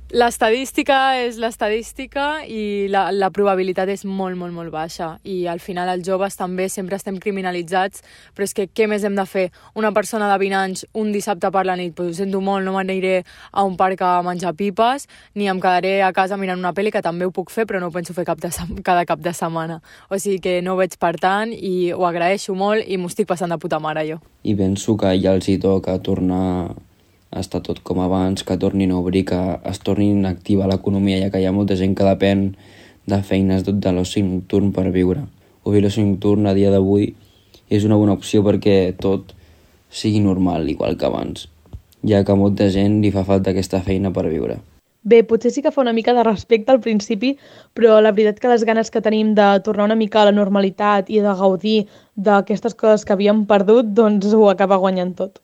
L'estadística és l'estadística i la probabilitat és molt, molt, molt baixa. I al final els joves també sempre estem criminalitzats, però és que què més hem de fer? Una persona de 20 anys un dissabte per la nit, doncs ho sento molt, no m'aniré a un parc a menjar pipes, ni em quedaré a casa mirant una pel·li, que també ho puc fer, però no ho penso fer cada cap de setmana. O sigui que no ho veig per tant i ho agraeixo molt i m'ho estic passant de puta mare jo. I penso que ja els hi toca tornar a estar tot com abans, que tornin a obrir, que es tornin a activar l'economia, ja que hi ha molta gent que depèn de feines de l'oci nocturn per viure. Obrir l'oci nocturn a dia d'avui és una bona opció perquè tot sigui normal, igual que abans, ja que a molta gent li fa falta aquesta feina per viure. Bé, potser sí que fa una mica de respecte al principi, però la veritat que les ganes que tenim de tornar una mica a la normalitat i de gaudir d'aquestes coses que havíem perdut, doncs ho acaba guanyant tot.